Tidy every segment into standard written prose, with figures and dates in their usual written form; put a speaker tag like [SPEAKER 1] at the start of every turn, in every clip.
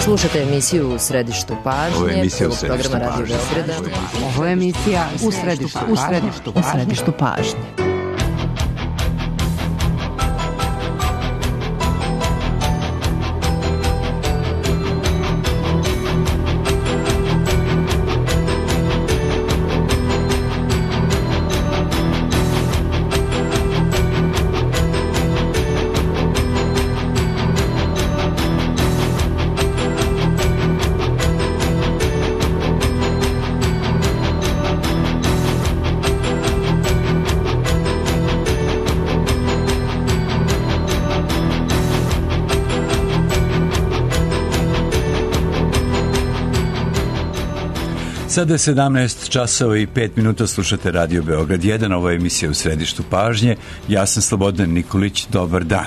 [SPEAKER 1] Slušate emisiju U središtu pažnje, programa Radio Beograda.
[SPEAKER 2] Ovo je emisija U središtu pažnje.
[SPEAKER 3] Sada je 17 časova i 5 minuta, slušate Radio Beograd 1, ovo je emisija U središtu pažnje, ja sam Slobodan Nikolić, dobar dan.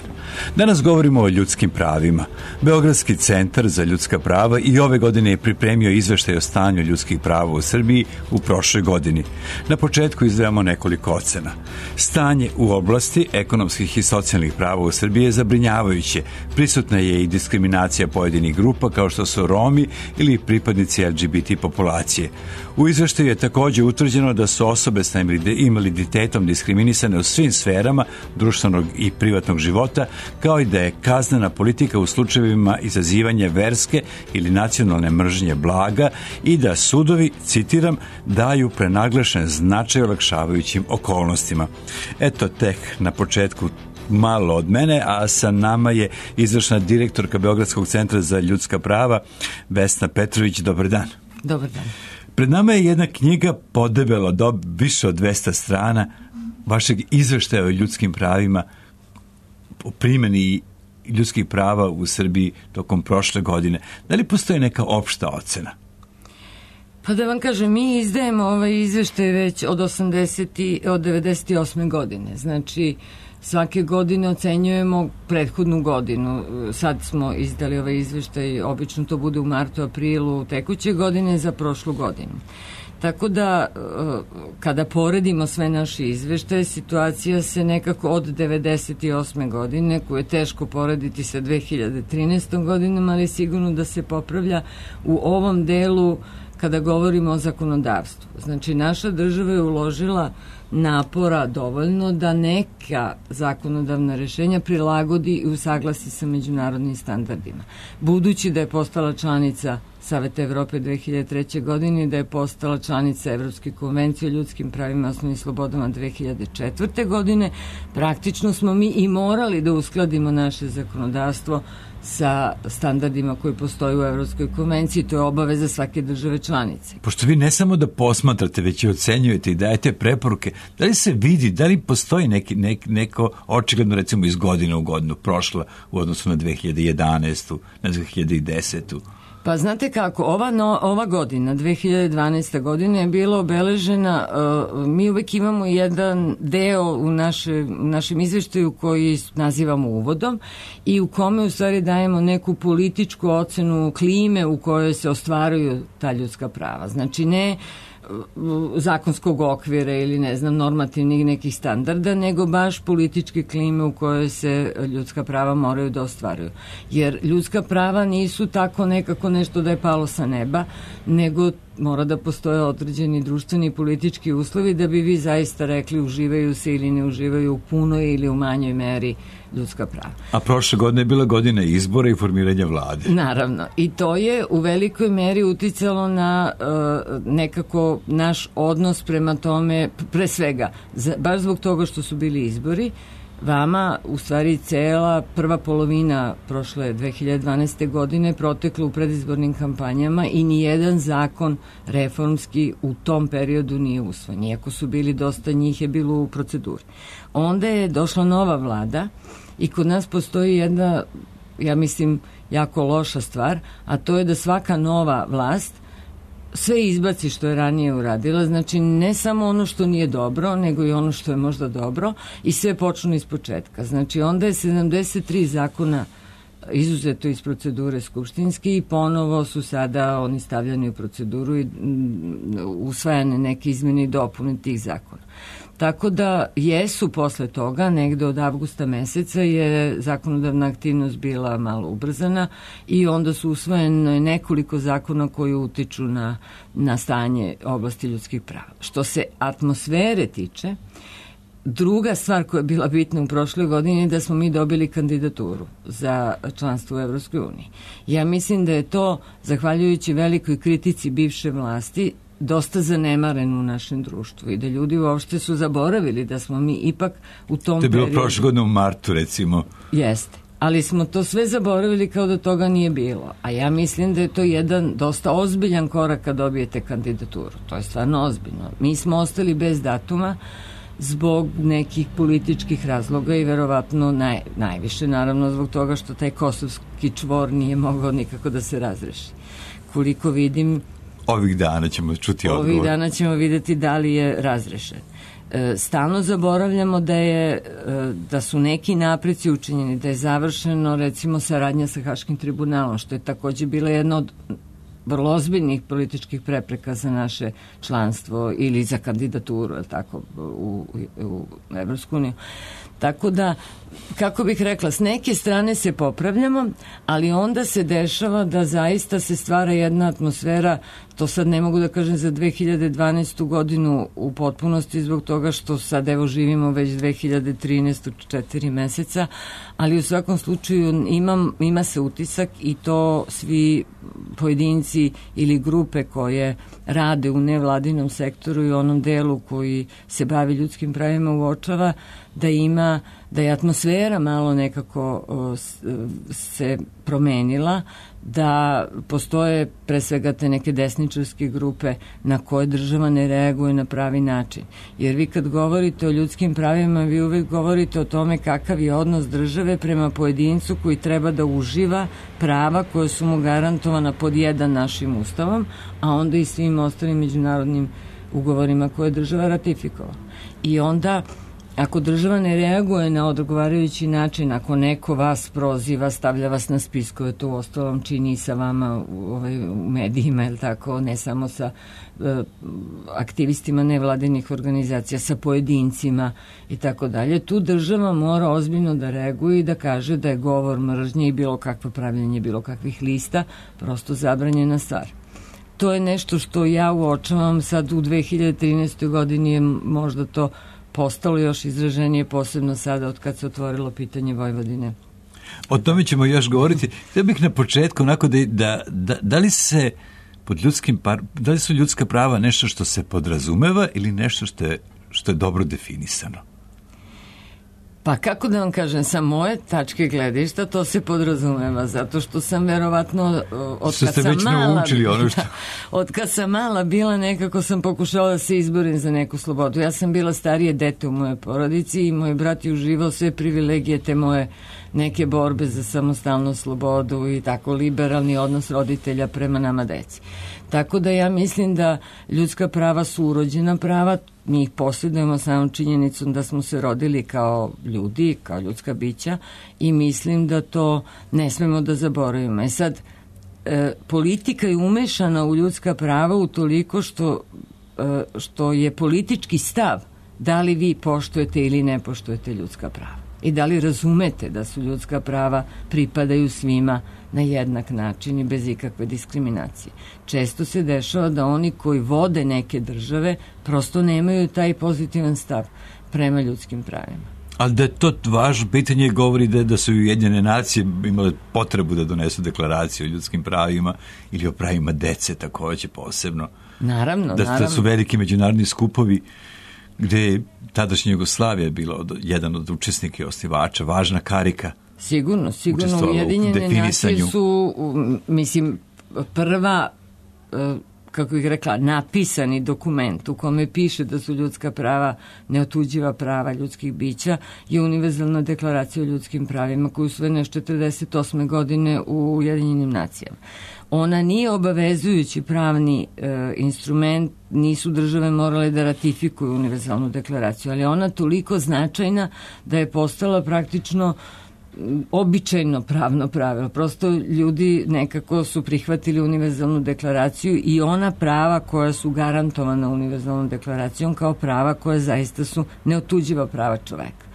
[SPEAKER 3] Danas govorimo o ljudskim pravima. Beogradski centar za ljudska prava i ove godine je pripremio izveštaj o stanju ljudskih prava u Srbiji u prošloj godini. Na početku izdvajamo nekoliko ocena. Stanje u oblasti ekonomskih i socijalnih prava u Srbiji je zabrinjavajuće. Prisutna je i diskriminacija pojedinih grupa kao što su Romi ili pripadnici LGBT populacije. U izveštaju je također utvrđeno da su osobe sa invaliditetom diskriminisane u svim sferama društvenog i privatnog života, kao i da je kaznena politika u slučajevima izazivanja verske ili nacionalne mržnje blaga i da sudovi, citiram, daju prenaglašen značaj olakšavajućim okolnostima. Eto tek na početku malo od mene, a sa nama je izvršna direktorka Beogradskog centra za ljudska prava Vesna Petrović. Dobar dan.
[SPEAKER 2] Dobar dan.
[SPEAKER 3] Pred nama je jedna knjiga podebelo više od 200 strana vašeg izveštaja o ljudskim pravima, o primjeni ljudskih prava u Srbiji tokom prošle godine. Da li postoji neka opšta ocena?
[SPEAKER 2] Pa da vam kažem, mi izdajemo ovaj izveštaj već od 98. godine. Znači, svake godine ocenjujemo prethodnu godinu. Sad smo izdali ovaj izveštaj, obično to bude u martu, aprilu tekuće godine za prošlu godinu. Tako da, kada poredimo sve naše izveštaje, situacija se nekako od 98. godine, koju je teško porediti sa 2013. godinom, ali sigurno da se popravlja u ovom delu kada govorimo o zakonodavstvu. Znači, naša država je uložila napora dovoljno da neka zakonodavna rešenja prilagodi i usaglasi sa međunarodnim standardima. Budući da je postala članica Saveta Evrope 2003. godine i da je postala članica Evropske konvencije o ljudskim pravima i osnovnim slobodama 2004. godine, praktično smo mi i morali da uskladimo naše zakonodavstvo sa standardima koji postoji u Evropskoj konvenciji. To je obaveza svake države članice.
[SPEAKER 3] Pošto vi ne samo da posmatrate, već i ocenjujete i dajete preporuke, da li se vidi, da li postoji neko očigledno recimo iz godine u godinu prošla u odnosu na 2011. na 2010.
[SPEAKER 2] Pa znate kako, ova godina, 2012. godina je bila obeležena, mi uvek imamo jedan deo u našem izveštaju koji nazivamo uvodom i u kome u stvari dajemo neku političku ocenu klime u kojoj se ostvaruju ta ljudska prava. Znači ne zakonskog okvira ili ne znam normativnih nekih standarda, nego baš političke klime u kojoj se ljudska prava moraju da ostvaruju. Jer ljudska prava nisu tako nekako nešto da je palo sa neba, nego mora da postoje određeni društveni i politički uslovi da bi vi zaista rekli uživaju se ili ne uživaju u punoj ili u manjoj meri ljudska prava.
[SPEAKER 3] A prošle godine je bila godina izbora i formiranja vlade.
[SPEAKER 2] Naravno. I to je u velikoj meri uticalo na nekako naš odnos prema tome, pre svega, baš zbog toga što su bili izbori, vama u stvari cela prva polovina prošle 2012. godine protekla u predizbornim kampanjama i nijedan zakon reformski u tom periodu nije usvojen. Iako su bili dosta njih je bilo u proceduri. Onda je došla nova vlada i kod nas postoji jedna, ja mislim, jako loša stvar, a to je da svaka nova vlast sve izbaci što je ranije uradila, znači ne samo ono što nije dobro, nego i ono što je možda dobro i sve počnu iz početka. Znači onda je 73 zakona izuzeto iz procedure skupštinske i ponovo su sada oni stavljani u proceduru i usvajane neke izmene i dopune tih zakona. Tako da jesu posle toga, negde od avgusta meseca je zakonodavna aktivnost bila malo ubrzana i onda su usvojene nekoliko zakona koji utiču na stanje oblasti ljudskih prava. Što se atmosfere tiče, druga stvar koja je bila bitna u prošloj godini je da smo mi dobili kandidaturu za članstvo u Evropskoj uniji. Ja mislim da je to, zahvaljujući velikoj kritici bivše vlasti, dosta zanemaren u našem društvu i da ljudi uopšte su zaboravili da smo mi ipak u tom periodu... To je bilo
[SPEAKER 3] prošle godine u martu, recimo.
[SPEAKER 2] Jeste, ali smo to sve zaboravili kao da toga nije bilo. A ja mislim da je to jedan dosta ozbiljan korak kad dobijete kandidaturu. To je stvarno ozbiljno. Mi smo ostali bez datuma zbog nekih političkih razloga i verovatno najviše naravno zbog toga što taj kosovski čvor nije mogao nikako da se razreši. Koliko vidim...
[SPEAKER 3] Ovih dana ćemo čuti odgovor.
[SPEAKER 2] Ovih dana ćemo videti da li je razrešen. Stalno zaboravljamo da su neki napreci učinjeni, da je završeno recimo saradnja sa Haškim tribunalom, što je takođe bila jedna od vrlo ozbiljnih političkih prepreka za naše članstvo ili za kandidaturu, tako, u Evropsku uniju. Tako da, kako bih rekla, s neke strane se popravljamo, ali onda se dešava da zaista se stvara jedna atmosfera, to sad ne mogu da kažem za 2012. godinu u potpunosti zbog toga što sad evo živimo već 2013. 4 meseca, ali u svakom slučaju ima se utisak i to svi pojedinci ili grupe koje rade u nevladinom sektoru i onom delu koji se bavi ljudskim pravima uočava da je atmosfera malo nekako se promenila, da postoje pre svega te neke desničarske grupe na koje država ne reaguje na pravi način. Jer vi kad govorite o ljudskim pravima, vi uvek govorite o tome kakav je odnos države prema pojedincu koji treba da uživa prava koje su mu garantovana pod jedan našim ustavom, a onda i svim ostalim međunarodnim ugovorima koje je država ratifikovala. I onda ako država ne reaguje na odgovarajući način, ako neko vas proziva, stavlja vas na spiskove, to uostalom čini i sa vama u medijima, je li tako, ne samo sa aktivistima nevladinih organizacija, sa pojedincima i tako dalje, tu država mora ozbiljno da reaguje i da kaže da je govor mržnje i bilo kakvo pravljenje bilo kakvih lista prosto zabranjena stvar. To je nešto što ja uočavam sad u 2013. godini je možda to postalo još izraženije, posebno sada od kad se otvorilo pitanje Vojvodine.
[SPEAKER 3] O tome ćemo još govoriti. Htio bih na početku onako da li se da li su ljudska prava nešto što se podrazumeva ili nešto što je dobro definisano?
[SPEAKER 2] Pa kako da vam kažem, sa moje tačke gledišta to se podrazumeva, zato što sam verovatno od kad sam mala bila nekako sam pokušala da se izborim za neku slobodu. Ja sam bila starije dete u mojoj porodici i moj brat je uživao sve privilegije te moje neke borbe za samostalnu slobodu i tako liberalni odnos roditelja prema nama deci. Tako da ja mislim da ljudska prava su urođena prava, mi ih posjedujemo samom činjenicom da smo se rodili kao ljudi, kao ljudska bića i mislim da to ne smemo da zaboravimo. E sad, politika je umešana u ljudska prava utoliko što je politički stav da li vi poštujete ili ne poštujete ljudska prava. I da li razumete da su ljudska prava pripadaju svima na jednak način i bez ikakve diskriminacije. Često se dešava da oni koji vode neke države prosto nemaju taj pozitivan stav prema ljudskim pravima.
[SPEAKER 3] Ali da je to važno pitanje govori da su Ujedinjene nacije imale potrebu da donesu deklaraciju o ljudskim pravima ili o pravima dece takođe posebno.
[SPEAKER 2] Naravno.
[SPEAKER 3] Da su veliki međunarodni skupovi gde je tadašnja Jugoslavija bila jedan od učesnika i osnivača, važna karika.
[SPEAKER 2] Sigurno. Ujedinjene nacije su, mislim, prva, kako bih rekla, napisani dokument u kome piše da su ljudska prava neotuđiva prava ljudskih bića je Univerzalna deklaracija o ljudskim pravima koju usvojena 1948. godine u Ujedinjenim nacijama. Ona nije obavezujući pravni instrument, nisu države morale da ratifikuju Univerzalnu deklaraciju, ali ona toliko značajna da je postala praktično običajno pravno pravilo. Prosto ljudi nekako su prihvatili univerzalnu deklaraciju i ona prava koja su garantovana univerzalnom deklaracijom kao prava koja zaista su neotuđiva prava čoveka.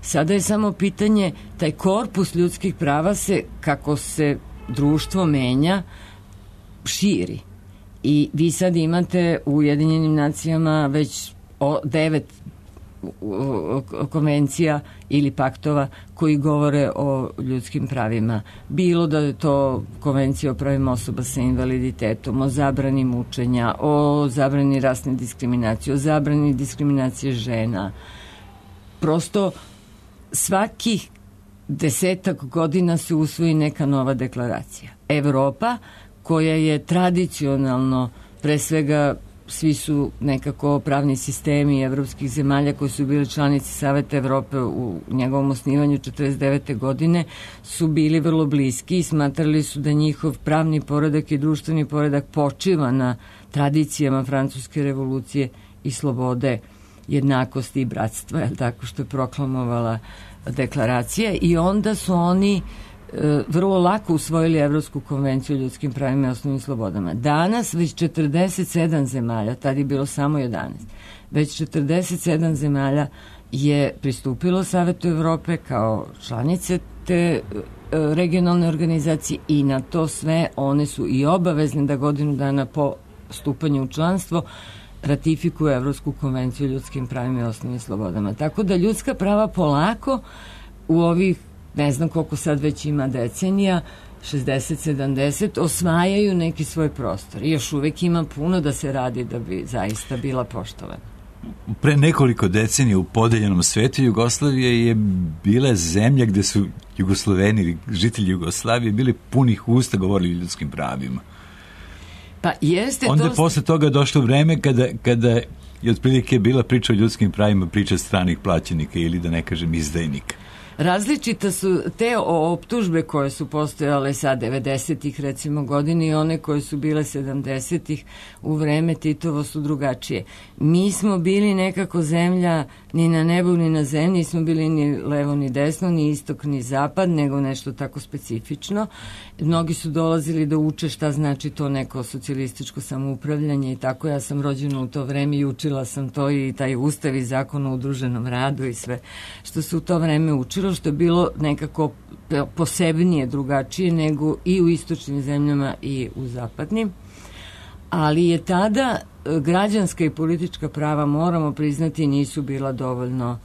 [SPEAKER 2] Sada je samo pitanje, taj korpus ljudskih prava se, kako se društvo menja, širi. I vi sad imate u Ujedinjenim nacijama već 9 konvencija ili paktova koji govore o ljudskim pravima. Bilo da je to konvencija o pravima osoba sa invaliditetom, o zabrani mučenja, o zabrani rasne diskriminacije, o zabrani diskriminacije žena. Prosto svakih 10 godina se usvoji neka nova deklaracija. Evropa, koja je tradicionalno, pre svega svi su nekako pravni sistemi evropskih zemalja koji su bili članici Saveta Evrope u njegovom osnivanju 49. godine, su bili vrlo bliski i smatrali su da njihov pravni poredak i društveni poredak počiva na tradicijama Francuske revolucije i slobode, jednakosti i bratstva, je tako što je proklamovala deklaracija, i onda su oni vrlo lako usvojili Evropsku konvenciju o ljudskim pravima i osnovnim slobodama. Danas već 47 zemalja, tad je bilo samo 11, već 47 zemalja je pristupilo Savetu Evrope kao članice te regionalne organizacije i na to sve one su i obavezne da godinu dana po stupanju u članstvo ratifikuju Evropsku konvenciju o ljudskim pravima i osnovnim slobodama. Tako da ljudska prava polako u ovih, ne znam koliko sad već ima decenija, 60-70, osvajaju neki svoj prostor. I još uvek ima puno da se radi da bi zaista bila poštovana.
[SPEAKER 3] Pre nekoliko decenija u podeljenom svetu Jugoslavija je bila zemlja gde su Jugosloveni, žitelji Jugoslavije, bili punih usta govorili o ljudskim pravima.
[SPEAKER 2] Pa jeste,
[SPEAKER 3] onda je posle toga došlo vreme kada je otprilike bila priča o ljudskim pravima, priča stranih plaćenika ili da ne kažem izdajnika.
[SPEAKER 2] Različite su te optužbe koje su postojale sad 90-ih recimo godine i one koje su bile 70-ih u vreme Titovo su drugačije. Mi smo bili nekako zemlja ni na nebu ni na zemlji, nismo bili ni levo ni desno, ni istok ni zapad, nego nešto tako specifično. Mnogi su dolazili da uče šta znači to neko socijalističko samoupravljanje i tako. Ja sam rođena u to vreme i učila sam to i taj ustav i zakon o udruženom radu i sve što se u to vreme učilo, što je bilo nekako posebnije, drugačije nego i u istočnim zemljama i u zapadnim. Ali je tada građanska i politička prava, moramo priznati, nisu bila dovoljno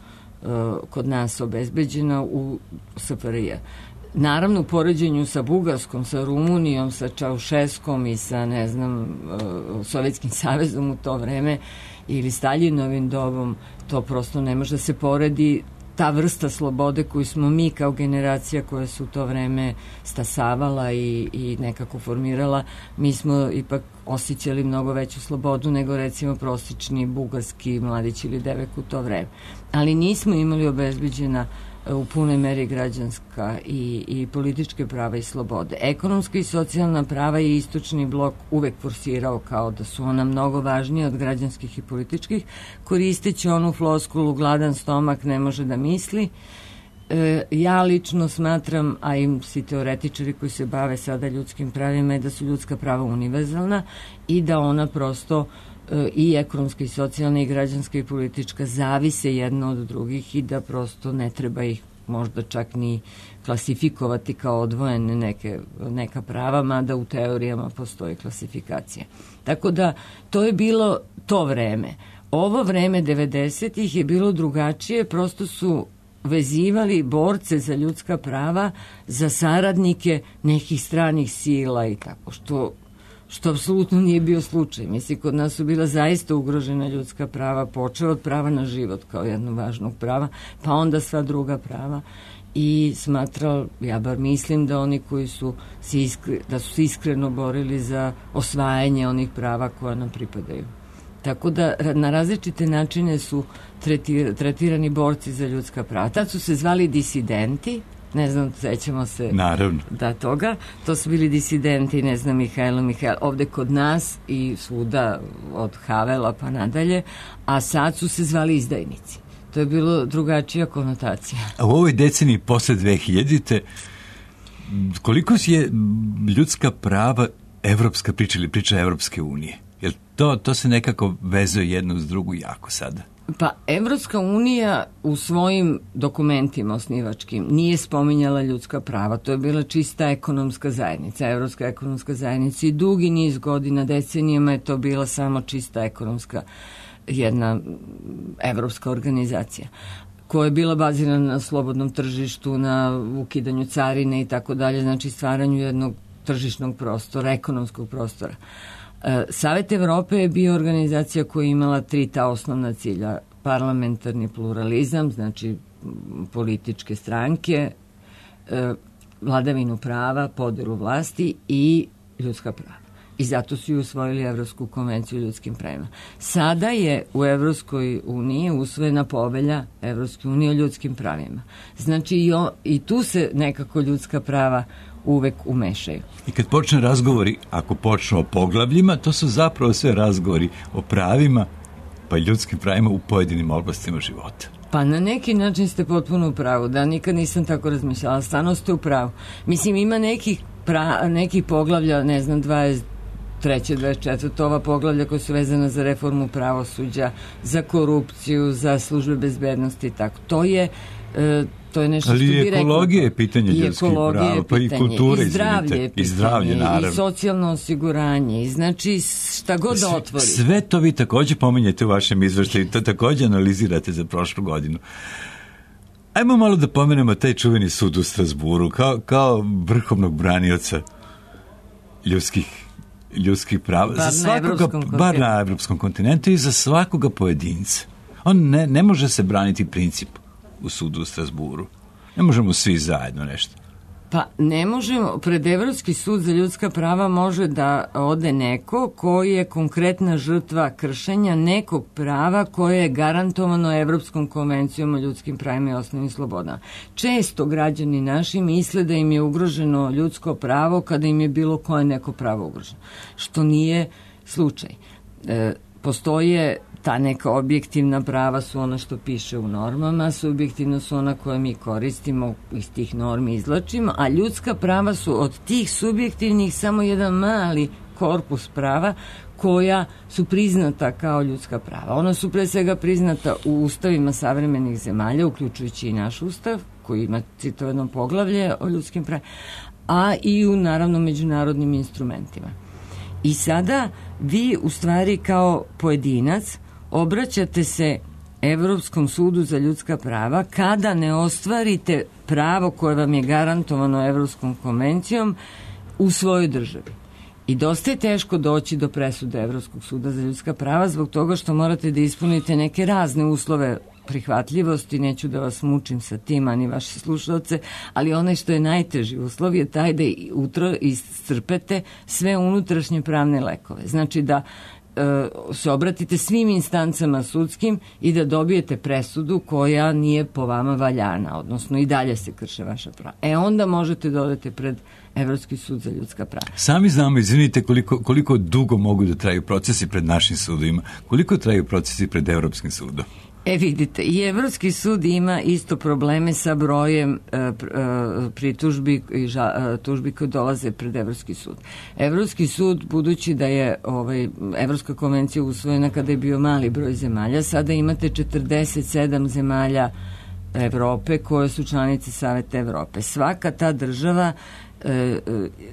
[SPEAKER 2] kod nas obezbeđena u SFRJ. Naravno, u poređenju sa Bugarskom, sa Rumunijom, sa Čaušeskom i sa, ne znam, Sovjetskim savezom u to vreme ili Staljinovim dobom, to prosto ne može da se poredi. Ta vrsta slobode koju smo mi kao generacija koja su u to vreme stasavala i nekako formirala, mi smo ipak osjećali mnogo veću slobodu nego recimo prosječni bugarski mladić ili devek u to vreme. Ali nismo imali obezbeđena u punoj meri građanska i političke prava i slobode. Ekonomska i socijalna prava je istočni blok uvek forsirao kao da su ona mnogo važnije od građanskih i političkih, koristeći onu floskulu gladan stomak ne može da misli. Ja lično smatram, a i svi teoretičari koji se bave sada ljudskim pravima, je da su ljudska prava univerzalna i da ona prosto i ekonomska i socijalna i građanska i politička zavise jedna od drugih i da prosto ne treba ih možda čak ni klasifikovati kao odvojene neka prava, mada u teorijama postoji klasifikacija. Tako da to je bilo to vreme. Ovo vreme 90-ih je bilo drugačije, prosto su vezivali borce za ljudska prava za saradnike nekih stranih sila i tako, što apsolutno nije bio slučaj. Mislim, kod nas su bila zaista ugrožena ljudska prava, počeo od prava na život kao jednog važnog prava, pa onda sva druga prava. I smatrao, ja bar mislim da oni koji su se iskreno borili za osvajanje onih prava koja nam pripadaju. Tako da na različite načine su tretirani borci za ljudska prava. Tad su se zvali disidenti, ne znam, sećamo se da toga, to su bili disidenti, ne znam, Mihajlo, ovde kod nas i svuda od Havela pa nadalje, a sad su se zvali izdajnici. To je bilo drugačija konotacija.
[SPEAKER 3] A u ovoj deceniji posle 2000-te koliko je ljudska prava evropska priča ili priča Evropske unije? Jer to se nekako vezuje jedno uz drugu jako sada.
[SPEAKER 2] Pa Evropska unija u svojim dokumentima osnivačkim nije spominjala ljudska prava. To je bila čista ekonomska zajednica, Evropska ekonomska zajednica i dugi niz godina, decenijama je to bila samo čista ekonomska jedna evropska organizacija koja je bila bazirana na slobodnom tržištu, na ukidanju carine i tako dalje, znači stvaranju jednog tržišnog prostora, ekonomskog prostora. Savet Evrope je bio organizacija koja je imala 3 ta osnovna cilja. Parlamentarni pluralizam, znači političke stranke, vladavinu prava, podelu vlasti i ljudska prava. I zato su i usvojili Evropsku konvenciju o ljudskim pravima. Sada je u Evropskoj uniji usvojena povelja Evropske unije o ljudskim pravima. Znači i tu se nekako ljudska prava uvek umešaju.
[SPEAKER 3] I kad počne razgovori, ako počnu o poglavljima, to su zapravo sve razgovori o pravima, pa i ljudskim pravima u pojedinim oblastima života.
[SPEAKER 2] Pa na neki način ste potpuno u pravu, da nikad nisam tako razmišljala, stvarno ste u pravu. Mislim, ima nekih poglavlja, ne znam, 23. 24. ova poglavlja koja su vezana za reformu pravosuđa, za korupciju, za službe bezbednosti i tako. To je nešto što bi rekao.
[SPEAKER 3] Ali ekologija je pitanje ljudskih prava, pa i kultura,
[SPEAKER 2] i zdravlje, naravno. I socijalno osiguranje, i znači šta god da otvori.
[SPEAKER 3] Sve to vi takođe pominjete u vašem izveštaju, to takođe analizirate za prošlu godinu. Ajmo malo da pomenemo taj čuveni sud u Strasburu, kao vrhovnog branioca ljudskih prava. Bar na evropskom kontinentu i za svakoga pojedinca. On ne može se braniti princip u sudu u Strasburu. Ne možemo svi zajedno nešto.
[SPEAKER 2] Pa ne možemo, pred Evropski sud za ljudska prava može da ode neko koji je konkretna žrtva kršenja nekog prava koje je garantovano Evropskom konvencijom o ljudskim pravima i osnovnim slobodama. Često građani naši misle da im je ugroženo ljudsko pravo kada im je bilo koje neko pravo ugroženo, što nije slučaj. Postoje ta neka objektivna prava su ona što piše u normama, subjektivno su ona koje mi koristimo, iz tih normi izlačimo, a ljudska prava su od tih subjektivnih samo jedan mali korpus prava koja su priznata kao ljudska prava. Ona su pre svega priznata u ustavima savremenih zemalja, uključujući i naš ustav, koji ima citovano poglavlje o ljudskim pravima, a i u, naravno, međunarodnim instrumentima. I sada vi u stvari kao pojedinac obraćate se Evropskom sudu za ljudska prava kada ne ostvarite pravo koje vam je garantovano Evropskom konvencijom u svojoj državi. I dosta je teško doći do presude Evropskog suda za ljudska prava zbog toga što morate da ispunite neke razne uslove prihvatljivosti, neću da vas mučim sa tim, ani vaše slušalce, ali onaj što je najteži uslov je taj da iscrpete sve unutrašnje pravne lekove. Znači da se obratite svim instancama sudskim i da dobijete presudu koja nije po vama valjana, odnosno i dalje se krše vaša prava. Onda možete dodati pred Evropski sud za ljudska prava.
[SPEAKER 3] Sami znamo, izvinite, koliko dugo mogu da traju procesi pred našim sudovima, koliko traju procesi pred Evropskim sudom?
[SPEAKER 2] Vidite, i Evropski sud ima isto probleme sa brojem pritužbi i tužbi koje dolaze pred Evropski sud. Evropski sud, budući da je Evropska konvencija usvojena kada je bio mali broj zemalja, sada imate 47 zemalja Evrope koje su članice Saveta Evrope. Svaka ta država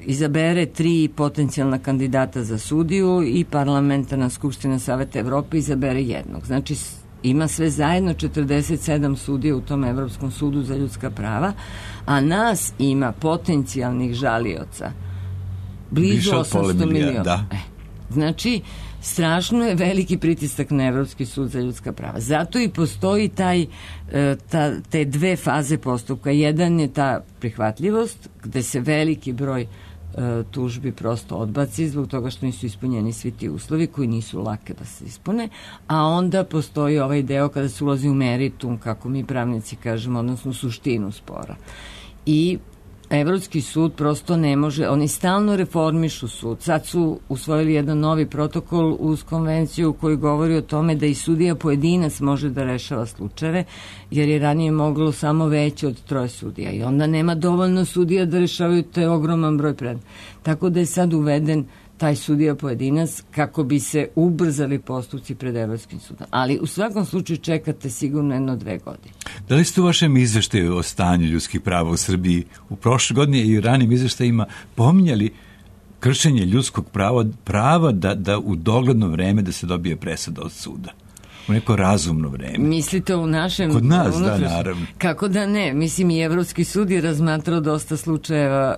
[SPEAKER 2] izabere 3 potencijalna kandidata za sudiju i parlamentarna skupština Saveta Evrope izabere jednog. Znači, ima sve zajedno 47 sudija u tom Evropskom sudu za ljudska prava, a nas ima potencijalnih žalioca blizu 800 miliona.
[SPEAKER 3] Da.
[SPEAKER 2] Znači, strašno je veliki pritisak na Evropski sud za ljudska prava. Zato i postoji te dve faze postupka. Jedan je ta prihvatljivost, gde se veliki broj tužbi prosto odbaci zbog toga što nisu ispunjeni svi ti uslovi koji nisu lake da se ispune, a onda postoji ovaj deo kada se ulazi u meritum, kako mi pravnici kažemo, odnosno suštinu spora. I Evropski sud prosto ne može, oni stalno reformišu sud. Sad su usvojili jedan novi protokol uz konvenciju koji govori o tome da i sudija pojedinac može da rešava slučajeve, jer je ranije moglo samo veće od 3 sudija i onda nema dovoljno sudija da rešavaju taj ogroman broj predmeta. Tako da je sad uveden taj sudija pojedinac kako bi se ubrzali postupci pred Evropskim sudom. Ali u svakom slučaju čekate sigurno 1-2 godine. Da
[SPEAKER 3] li ste u vašem izveštaju o stanju ljudskih prava u Srbiji u prošle godine i u ranim izveštajima pominjali kršenje ljudskog prava da u dogledno vreme da se dobije presuda od suda? U neko razumno vreme.
[SPEAKER 2] Mislite u našem...
[SPEAKER 3] Kod nas, da, naravno.
[SPEAKER 2] Kako da ne? Mislim, i Evropski sud je razmatrao dosta slučajeva...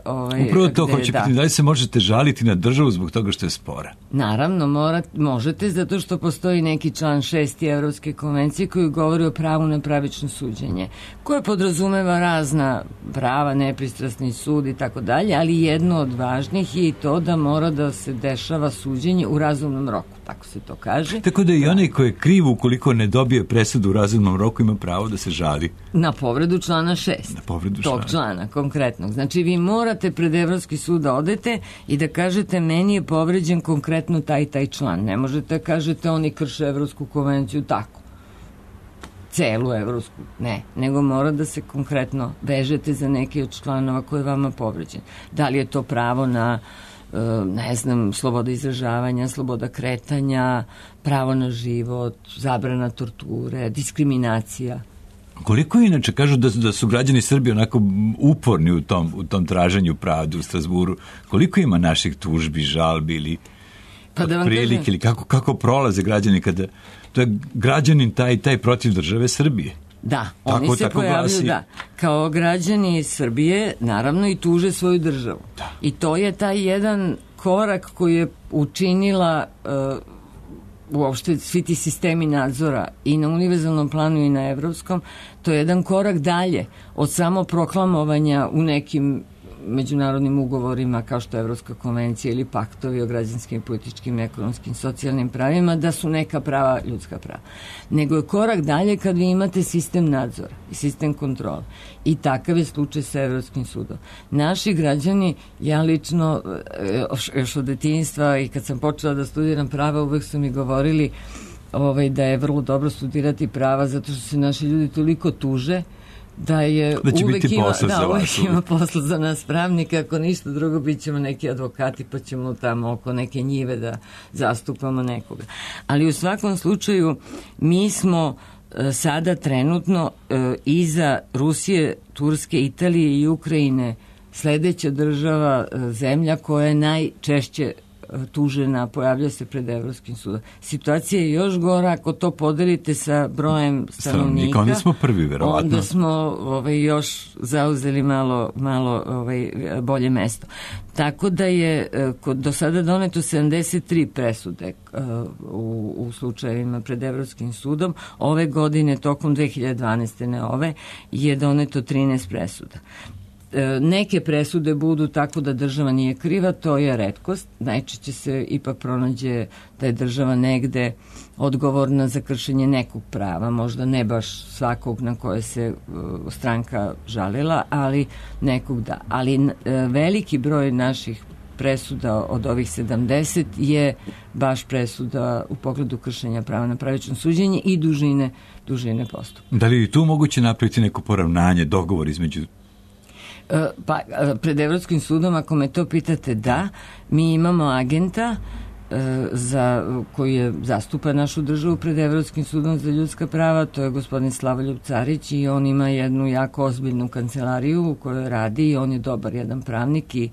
[SPEAKER 3] Upravo to hoće pitati. Da li se možete žaliti na državu zbog toga što je spora?
[SPEAKER 2] Naravno, možete, zato što postoji neki član 6. Evropske konvencije koji govori o pravu na pravično suđenje, koje podrazumeva razna prava, nepristrasni sud i tako dalje, ali jedno od važnih je i to da mora da se dešava suđenje u razumnom roku, tako se to kaže.
[SPEAKER 3] Tako da i onaj ko je kriv ukoliko ne dobije presudu u razumnom roku ima pravo da se žali.
[SPEAKER 2] Na povredu člana 6. Na povredu tog člana konkretnog. Znači vi morate pred Evropski sud da odete i da kažete meni je povređen konkretno taj član. Ne možete da kažete oni krše Evropsku konvenciju tako. Celu Evropsku. Ne. Nego mora da se konkretno vežete za neki od članova koji je vama povređen. Da li je to pravo na ne znam, sloboda izražavanja, sloboda kretanja, pravo na život, zabrana torture, diskriminacija.
[SPEAKER 3] Koliko inače kažu da su građani Srbije onako uporni u tom traženju pravde u Strazburu? Koliko ima naših tužbi, žalbi ili prilike ili kako prolaze građani kada to je građanin taj protiv države Srbije?
[SPEAKER 2] Da, oni se pojavljaju kao građani Srbije, naravno i tuže svoju državu. Da. I to je taj jedan korak koji je učinila uopšte svi ti sistemi nadzora i na univerzalnom planu i na evropskom. To je jedan korak dalje od samo proklamovanja u nekim međunarodnim ugovorima kao što je Evropska konvencija ili paktovi o građanskim, političkim, ekonomskim, socijalnim pravima, da su neka prava ljudska prava. Nego je korak dalje kad vi imate sistem nadzora i sistem kontrole. I takav je slučaj sa Evropskim sudom. Naši građani, ja lično, još od detinjstva i kad sam počela da studiram prava, uvek su mi govorili da je vrlo dobro studirati prava zato što se naši ljudi toliko tuže da uvek ima posla za nas pravnika, ako ništa drugo bit ćemo neki advokati pa ćemo tamo oko neke njive da zastupamo nekoga. Ali u svakom slučaju mi smo sada trenutno iza Rusije, Turske, Italije i Ukrajine sledeća država, zemlja koja je najčešće tužena, pojavlja se pred Evropskim sudom. Situacija je još gora ako to podelite sa brojem stanovnika.
[SPEAKER 3] Onda smo prvi, verovatno.
[SPEAKER 2] Onda smo još zauzeli malo bolje mesto. Tako da je do sada doneto 73 presude u slučajevima pred Evropskim sudom. Ove godine, tokom 2012. ne ove, je doneto 13 presuda. Neke presude budu tako da država nije kriva, to je retkost. Najčešće se ipak pronađe da je država negde odgovorna za kršenje nekog prava, možda ne baš svakog na koje se stranka žalila, ali nekog da. Ali veliki broj naših presuda od ovih 70 je baš presuda u pogledu kršenja prava na pravično suđenje i dužine postupka.
[SPEAKER 3] Da li je tu moguće napraviti neko poravnanje, dogovor između?
[SPEAKER 2] Pa, pred Evropskim sudom, ako me to pitate, da, mi imamo agenta koji zastupa našu državu pred Evropskim sudom za ljudska prava, to je gospodin Slavoljub Carić i on ima jednu jako ozbiljnu kancelariju u kojoj radi i on je dobar jedan pravnik i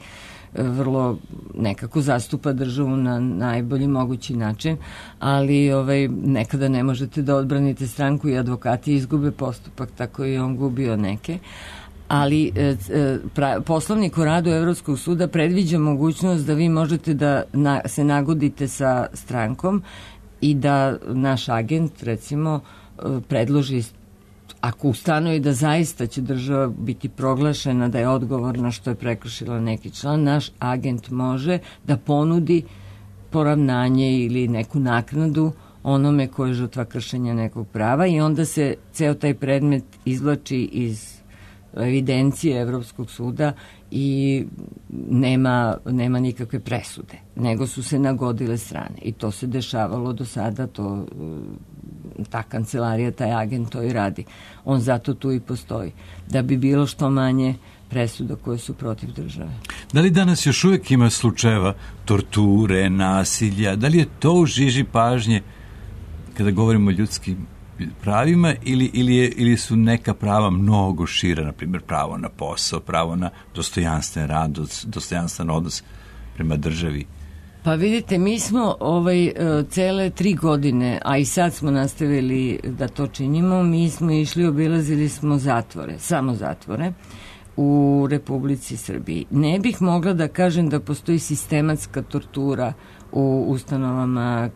[SPEAKER 2] vrlo nekako zastupa državu na najbolji mogući način, ali nekada ne možete da odbranite stranku i advokati izgube postupak, tako i on gubio neke. Ali poslovnik o radu Evropskog suda predviđa mogućnost da vi možete da se nagodite sa strankom i da naš agent, recimo, predloži, ako ustanovi da zaista će država biti proglašena da je odgovorna što je prekršila neki član, naš agent može da ponudi poravnanje ili neku naknadu onome ko je žrtva kršenja nekog prava i onda se ceo taj predmet izvlači iz evidencije Evropskog suda i nema nikakve presude, nego su se nagodile strane i to se dešavalo do sada, ta kancelarija, taj agent to i radi. On zato tu i postoji, da bi bilo što manje presuda koje su protiv države.
[SPEAKER 3] Da li danas još uvijek ima slučajeva torture, nasilja? Da li je to u žiži pažnje kada govorimo o ljudskim pravima ili su neka prava mnogo šira, na primjer pravo na posao, pravo na dostojanstven rad, dostojanstven odnos prema državi?
[SPEAKER 2] Pa vidite, mi smo cele 3 godine, a i sad smo nastavili da to činimo, mi smo išli, obilazili smo zatvore, samo zatvore, u Republici Srbiji. Ne bih mogla da kažem da postoji sistematska tortura u ustanovama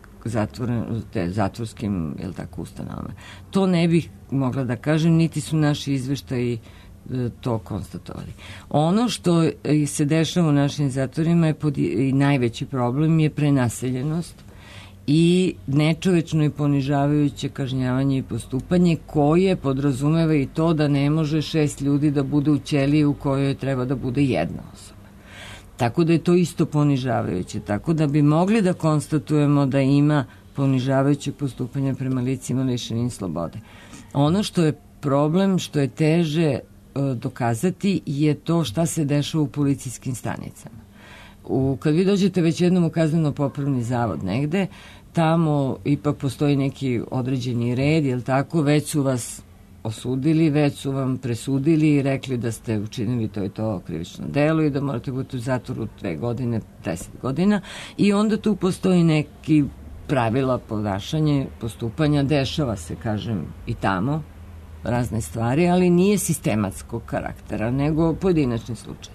[SPEAKER 2] zatvorskim, jel tako, ustanovama. To ne bih mogla da kažem, niti su naši izveštaji to konstatovali. Ono što se dešava u našim zatvorima i najveći problem je prenaseljenost i nečovečno i ponižavajuće kažnjavanje i postupanje koje podrazumeva i to da ne može 6 ljudi da bude u ćeliji u kojoj treba da bude 1 osoba. Tako da je to isto ponižavajuće. Tako da bi mogli da konstatujemo da ima ponižavajuće postupanje prema licima lišenim slobode. Ono što je problem, što je teže dokazati, je to šta se dešava u policijskim stanicama. Kad vi dođete već jednom u kazneno-popravni zavod negde, tamo ipak postoji neki određeni red, jel tako, već su vas osudili, već su vam presudili i rekli da ste učinili to i to krivično delo i da morate biti u zatvoru 2 godine, 10 godina i onda tu postoji neki pravila ponašanja, postupanja, dešava se, kažem, i tamo razne stvari, ali nije sistematskog karaktera, nego pojedinačni slučaj.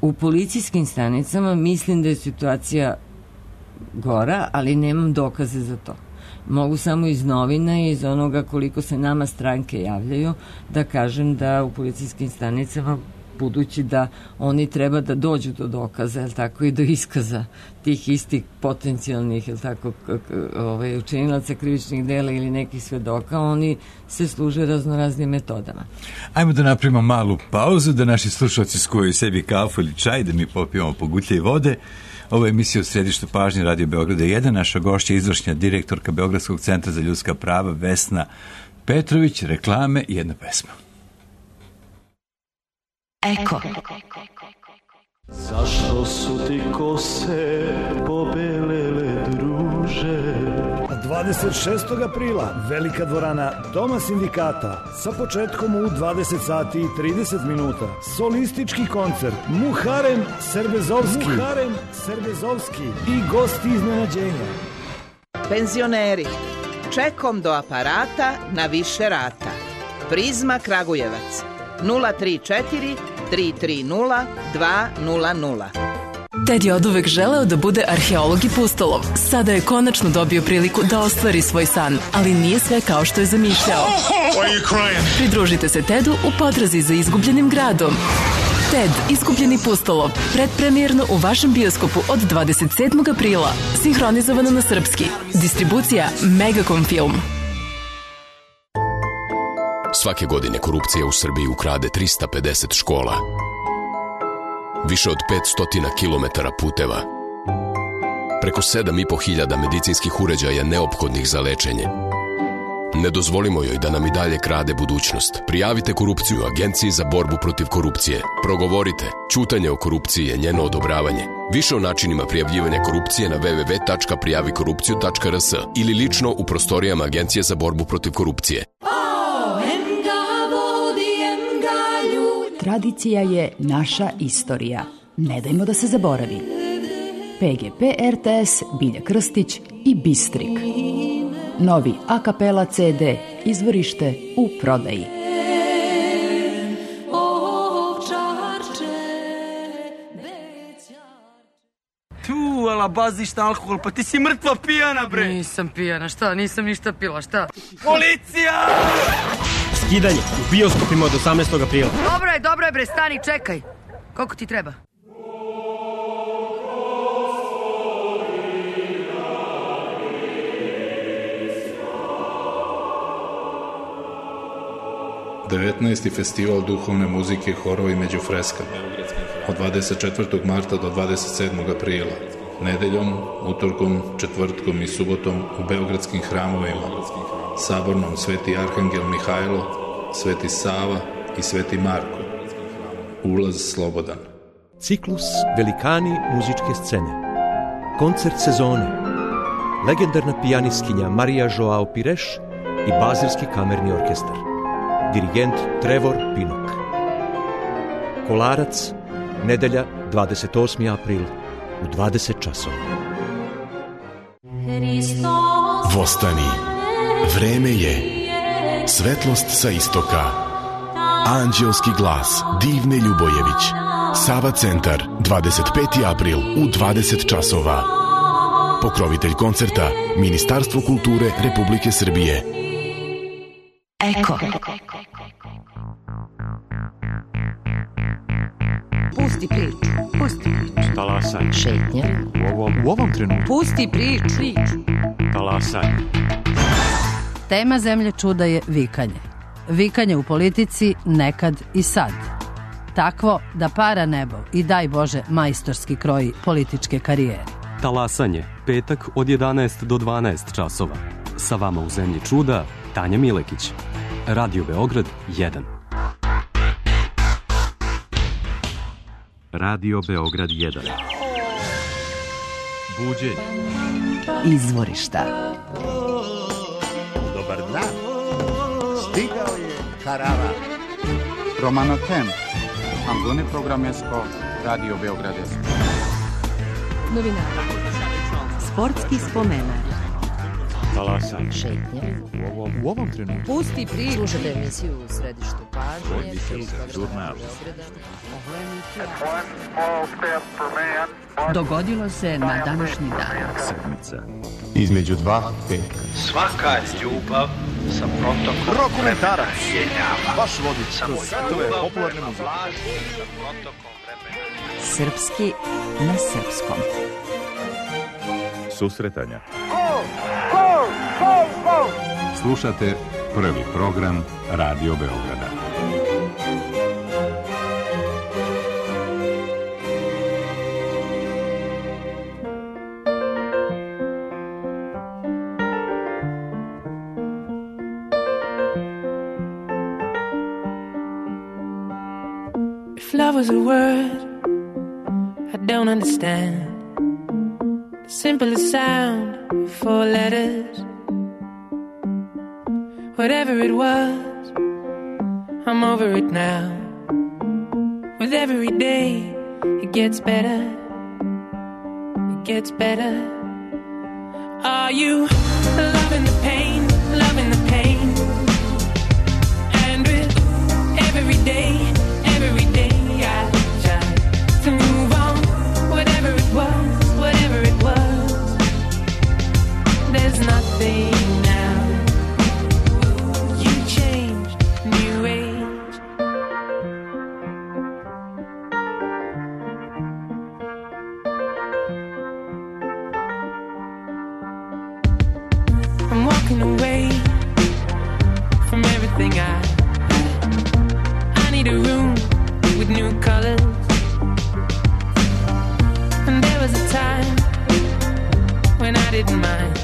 [SPEAKER 2] U policijskim stanicama mislim da je situacija gora, ali nemam dokaze za to. Mogu samo iz novina i iz onoga koliko se nama stranke javljaju da kažem da u policijskim stanicama, budući da oni treba da dođu do dokaza, jel tako, i do iskaza tih istih potencijalnih, jel tako, učinilaca krivičnih dela ili nekih svedoka, oni se služe raznoraznim metodama.
[SPEAKER 3] Ajmo da napravimo malu pauzu, da naši slušalci skuvaju sebi kafu ili čaj, da mi popijemo po gutlje i vode. Ovo je emisija u središtu pažnje Radio Beograda 1. Naša gošća je izvršna direktorka Beogradskog centra za ljudska prava Vesna Petrović, reklame i jedna pesma.
[SPEAKER 4] Eko. Zašto su ti kose pobelele, druže?
[SPEAKER 5] 26. aprila velika dvorana Doma sindikata sa početkom u 20 sati i 30 minuta. Solistički koncert Muharem Serbezovski i gosti iznenađenja.
[SPEAKER 6] Penzioneri, čekom do aparata na više rata. Prizma Kragujevac 034 330 200.
[SPEAKER 7] Ted je oduvek želeo da bude arheolog i pustolov. Sada je konačno dobio priliku da ostvari svoj san, ali nije sve kao što je zamišljao. Pridružite se Tedu u potrazi za izgubljenim gradom. Ted, izgubljeni pustolov, predpremijerno u vašem bioskopu od 27. aprila. Sinhronizovano na srpski. Distribucija Megacom Film.
[SPEAKER 8] Svake godine korupcija u Srbiji ukrade 350 škola, više od 500 kilometara puteva, preko 7.500 medicinskih uređaja neophodnih za lečenje. Ne dozvolimo joj da nam i dalje krade budućnost. Prijavite korupciju Agenciji za borbu protiv korupcije. Progovorite. Ćutanje o korupciji je njeno odobravanje. Više o načinima prijavljivanja korupcije na www.prijavikorupciju.rs ili lično u prostorijama Agencije za borbu protiv korupcije.
[SPEAKER 9] Tradicija je naša istorija. Ne dajmo da se zaboravi. PGP RTS, Bilja Krstić i Bistrik. Novi a kapela CD, izvorište u prodaji.
[SPEAKER 10] Tu, alabaziš na alkohol, pa ti si mrtva pijana, bre.
[SPEAKER 2] Nisam pijana, šta? Nisam ništa pila, šta?
[SPEAKER 10] Policija!
[SPEAKER 11] Skidanje u bioskopima od 18. aprila.
[SPEAKER 2] Dobro je bre, stani, čekaj. Koliko ti treba?
[SPEAKER 12] 19. festival duhovne muzike, horova i među freskama. Od 24. marta do 27. aprila. Nedeljom, utorkom, četvrtkom i subotom u beogradskim hramovima. Sabornom Sveti Arhangel Mihajlo, Sveti Sava i Sveti Marko. Ulaz slobodan.
[SPEAKER 13] Ciklus Velikani muzičke scene. Koncert sezone. Legendarna pijanistkinja Marija Joao Pires i Bazilski kamerni orkestar. Dirigent Trevor Pinnock. Kolarac, nedelja 28. april u 20 časova.
[SPEAKER 8] Vostani, vreme je. Svetlost sa istoka. Anđelski glas Divne Ljubojević. Sava centar, 25. april u 20 časova. Pokrovitelj koncerta, Ministarstvo kulture Republike Srbije.
[SPEAKER 4] Eko.
[SPEAKER 1] Pusti priču. Pusti priču.
[SPEAKER 11] Talasaj.
[SPEAKER 1] Šetnja.
[SPEAKER 11] U ovom trenutku.
[SPEAKER 1] Pusti priču.
[SPEAKER 11] Talasaj.
[SPEAKER 14] Tema Zemlje čuda je vikanje. Vikanje u politici nekad i sad. Takvo da para nebo i daj Bože majstorski kroji političke karijere.
[SPEAKER 15] Talasanje, petak od 11 do 12 časova. Sa vama u Zemlji čuda, Tanja Milekić. Radio Beograd 1. Radio Beograd 1.
[SPEAKER 3] Buđenje.
[SPEAKER 9] Izvorišta.
[SPEAKER 16] Dobar dan. Stigao je karavan. Romano Temp. Ambune programesko, Radio Beograd.
[SPEAKER 9] Novinari. Sportski spomenar.
[SPEAKER 11] Talasaj.
[SPEAKER 1] Šetnja.
[SPEAKER 11] U ovom trenutku.
[SPEAKER 1] Pusti priču. Slušajte emisiju u Središtu pažnje.
[SPEAKER 3] Žurnal.
[SPEAKER 9] Dogodilo se na današnji dan.
[SPEAKER 3] Sedmica.
[SPEAKER 16] Između dva petka.
[SPEAKER 10] Svaka ljubav sa protokom
[SPEAKER 16] Rokomentarac. Vaš vodič
[SPEAKER 10] sa
[SPEAKER 16] svetove popularne muzike.
[SPEAKER 9] Srpski na srpskom.
[SPEAKER 3] Susretanja. Slušate prvi program Radio Beograda.
[SPEAKER 17] If love was a word I don't understand, the simplest sound, 4 letters. Whatever it was, I'm over it now. With every day, it gets better. It gets better. Are you loving the pain, loving the pain? And with every day I try to move on. Whatever it was, there's nothing now. You changed, new age. I'm walking away from everything I need a room with new colors. And there was a time when I didn't mind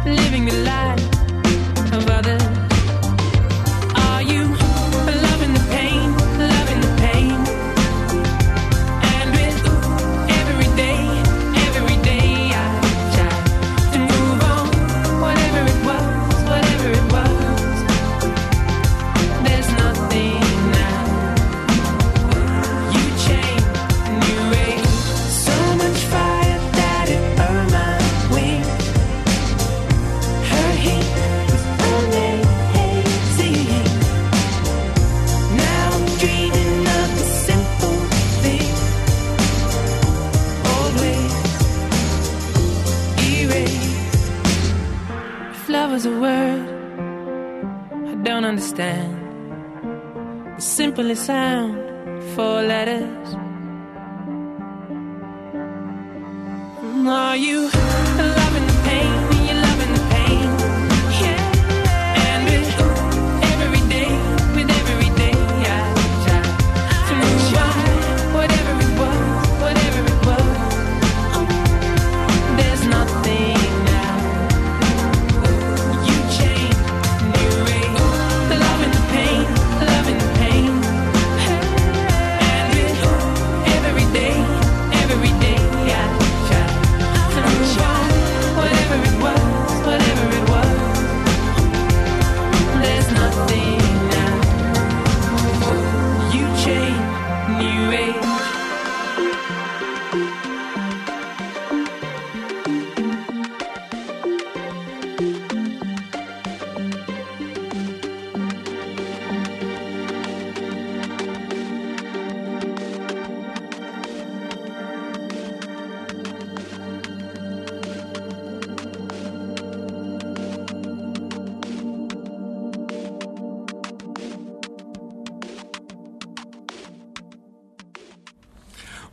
[SPEAKER 17] living the life of others. Are you loving the pain, loving the pain? And with every day I try to move on. Whatever it was, there's nothing now. You changed, new age. So much fire that it burned my wings. Her heat was amazing. Now I'm dreaming of the simple thing. Always erased. If love was a word I don't understand, the simplest sound, 4 letters. Are you loving the pain? You're loving the pain. Yeah. And with every day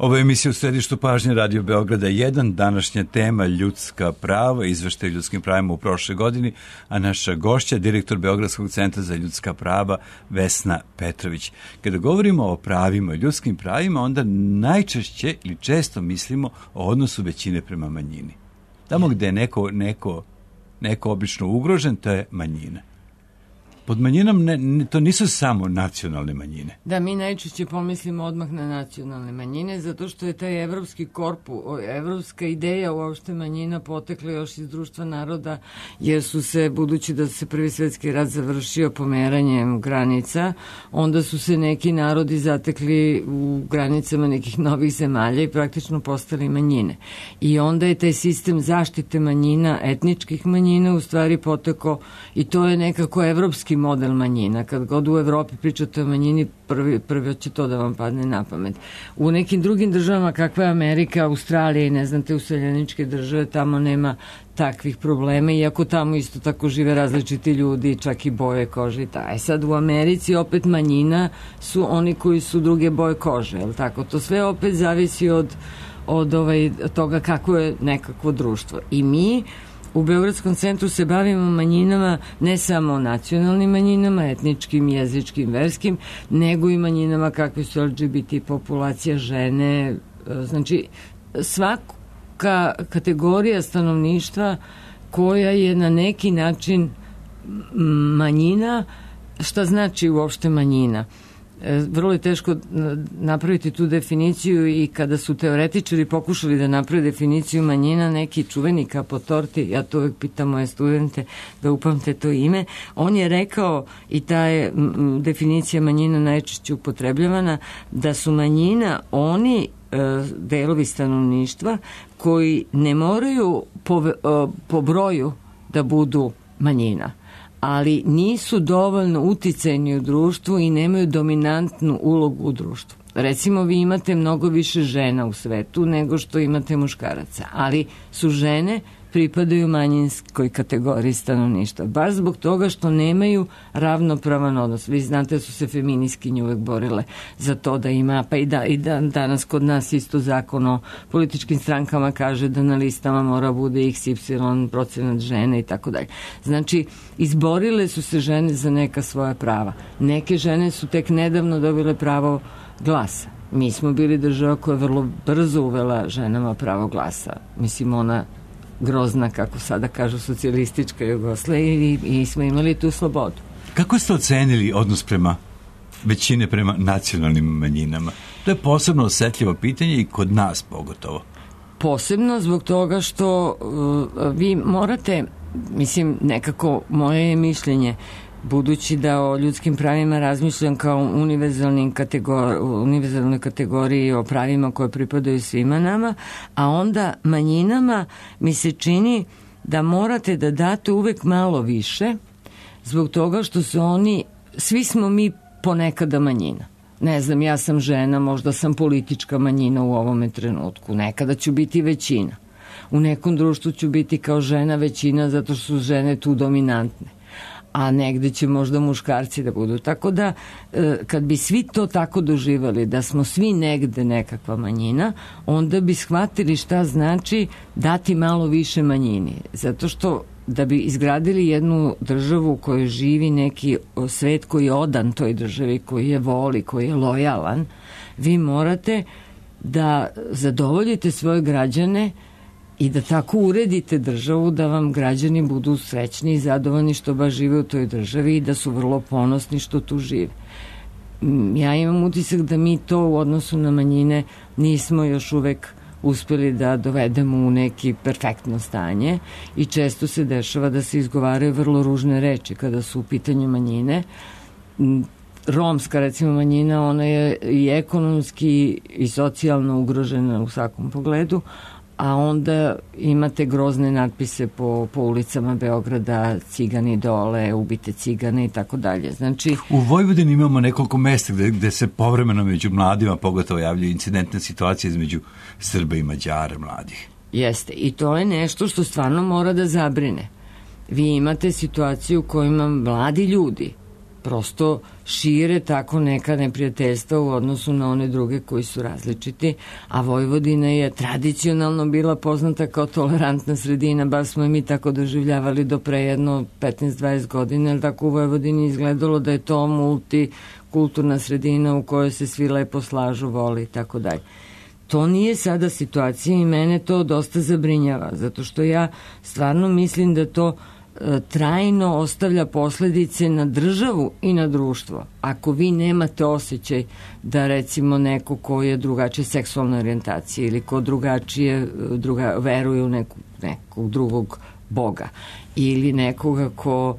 [SPEAKER 3] Ovo je emisija u središtu pažnje Radio Beograda 1, današnja tema ljudska prava, izveštaj ljudskim pravima u prošle godini, a naša gošća, direktor Beogradskog centra za ljudska prava, Vesna Petrović. Kada govorimo o pravima, ljudskim pravima, onda najčešće ili često mislimo o odnosu većine prema manjini. Tamo gde je neko obično ugrožen, to je manjina. Pod manjinom to nisu samo nacionalne manjine.
[SPEAKER 2] Da, mi najčešće pomislimo odmah na nacionalne manjine, zato što je taj evropski korpus, evropska ideja uopšte manjina potekla još iz društva naroda, jer su se, budući da se Prvi svetski rat završio pomeranjem granica, onda su se neki narodi zatekli u granicama nekih novih zemalja i praktično postali manjine. I onda je taj sistem zaštite manjina, etničkih manjina, u stvari potekao, i to je nekako evropski model manjina. Kad god u Evropi pričate o manjini, prvi će to da vam padne na pamet. U nekim drugim državama, kakva je Amerika, Australija i ne znam te useljeničke države, tamo nema takvih problema, iako tamo isto tako žive različiti ljudi, čak i boje kože i taj. Sad u Americi opet manjina su oni koji su druge boje kože, je li tako? To sve opet zavisi od toga kako je nekakvo društvo. I mi u Beogradskom centru se bavimo manjinama, ne samo nacionalnim manjinama, etničkim, jezičkim, verskim, nego i manjinama kakve su LGBT populacija, žene. Znači, svaka kategorija stanovništva koja je na neki način manjina. Šta znači uopšte manjina? Vrlo je teško napraviti tu definiciju, i kada su teoretičari pokušali da naprave definiciju manjina, neki čuveni Kapotorti, ja to uvek pitam moje studente da upamte to ime, on je rekao, i ta je definicija manjina najčešće upotrebljavana, da su manjina oni delovi stanovništva koji ne moraju po broju da budu manjina, ali nisu dovoljno uticajni u društvu i nemaju dominantnu ulogu u društvu. Recimo, vi imate mnogo više žena u svetu nego što imate muškaraca, ali su žene pripadaju manjinskoj kategoriji stanovništva, baš zbog toga što nemaju ravnopravan odnos. Vi znate da su se feministkinje uvek borile za to da ima, pa i danas kod nas isto zakon o političkim strankama kaže da na listama mora bude XY procenat žene i tako dalje. Znači, izborile su se žene za neka svoja prava. Neke žene su tek nedavno dobile pravo glasa. Mi smo bili država koja je vrlo brzo uvela ženama pravo glasa. Mislim, ona grozna, kako sada kažu, socijalistička Jugoslavija, i smo imali tu slobodu.
[SPEAKER 3] Kako ste ocenili odnos većine prema nacionalnim manjinama? To je posebno osetljivo pitanje i kod nas pogotovo.
[SPEAKER 2] Posebno zbog toga što vi morate, mislim, nekako moje je mišljenje, budući da o ljudskim pravima razmišljam kao univerzalnoj kategoriji o pravima koje pripadaju svima nama, a onda manjinama mi se čini da morate da date uvek malo više, zbog toga što su oni, svi smo mi ponekada manjina. Ne znam, ja sam žena, možda sam politička manjina u ovome trenutku, nekada ću biti većina. U nekom društvu ću biti kao žena većina zato što su žene tu dominantne, a negde će možda muškarci da budu. Tako da, kad bi svi to tako doživali, da smo svi negde nekakva manjina, onda bi shvatili šta znači dati malo više manjini. Zato što da bi izgradili jednu državu u kojoj živi neki svet koji je odan toj državi, koji je voli, koji je lojalan, vi morate da zadovoljite svoje građane i da tako uredite državu da vam građani budu srećni i zadovoljni što baš žive u toj državi i da su vrlo ponosni što tu žive. Ja imam utisak da mi to u odnosu na manjine nismo još uvek uspeli da dovedemo u neki perfektno stanje i često se dešava da se izgovaraju vrlo ružne reči kada su u pitanju manjine. Romska, recimo, manjina, ona je i ekonomski i socijalno ugrožena u svakom pogledu, a onda imate grozne natpise po ulicama Beograda, cigani dole, ubite cigane i tako dalje. Znači,
[SPEAKER 3] u Vojvodini imamo nekoliko mesta gde se povremeno među mladima pogotovo javljaju incidentne situacije između Srba i Mađara mladih.
[SPEAKER 2] Jeste, i to je nešto što stvarno mora da zabrine. Vi imate situaciju u kojima mladi ljudi prosto šire tako neka neprijateljstva u odnosu na one druge koji su različiti, a Vojvodina je tradicionalno bila poznata kao tolerantna sredina, bar smo i mi tako doživljavali do pre jedno 15-20 godina, jer tako u Vojvodini izgledalo da je to multikulturna sredina u kojoj se svi lepo slažu, vole i tako dalje. To nije sada situacija i mene to dosta zabrinjava, zato što ja stvarno mislim da to trajno ostavlja posledice na državu i na društvo. Ako vi nemate osjećaj da recimo neko ko je drugačije seksualne orijentacije ili ko drugačije veruje u nekog drugog Boga ili nekoga ko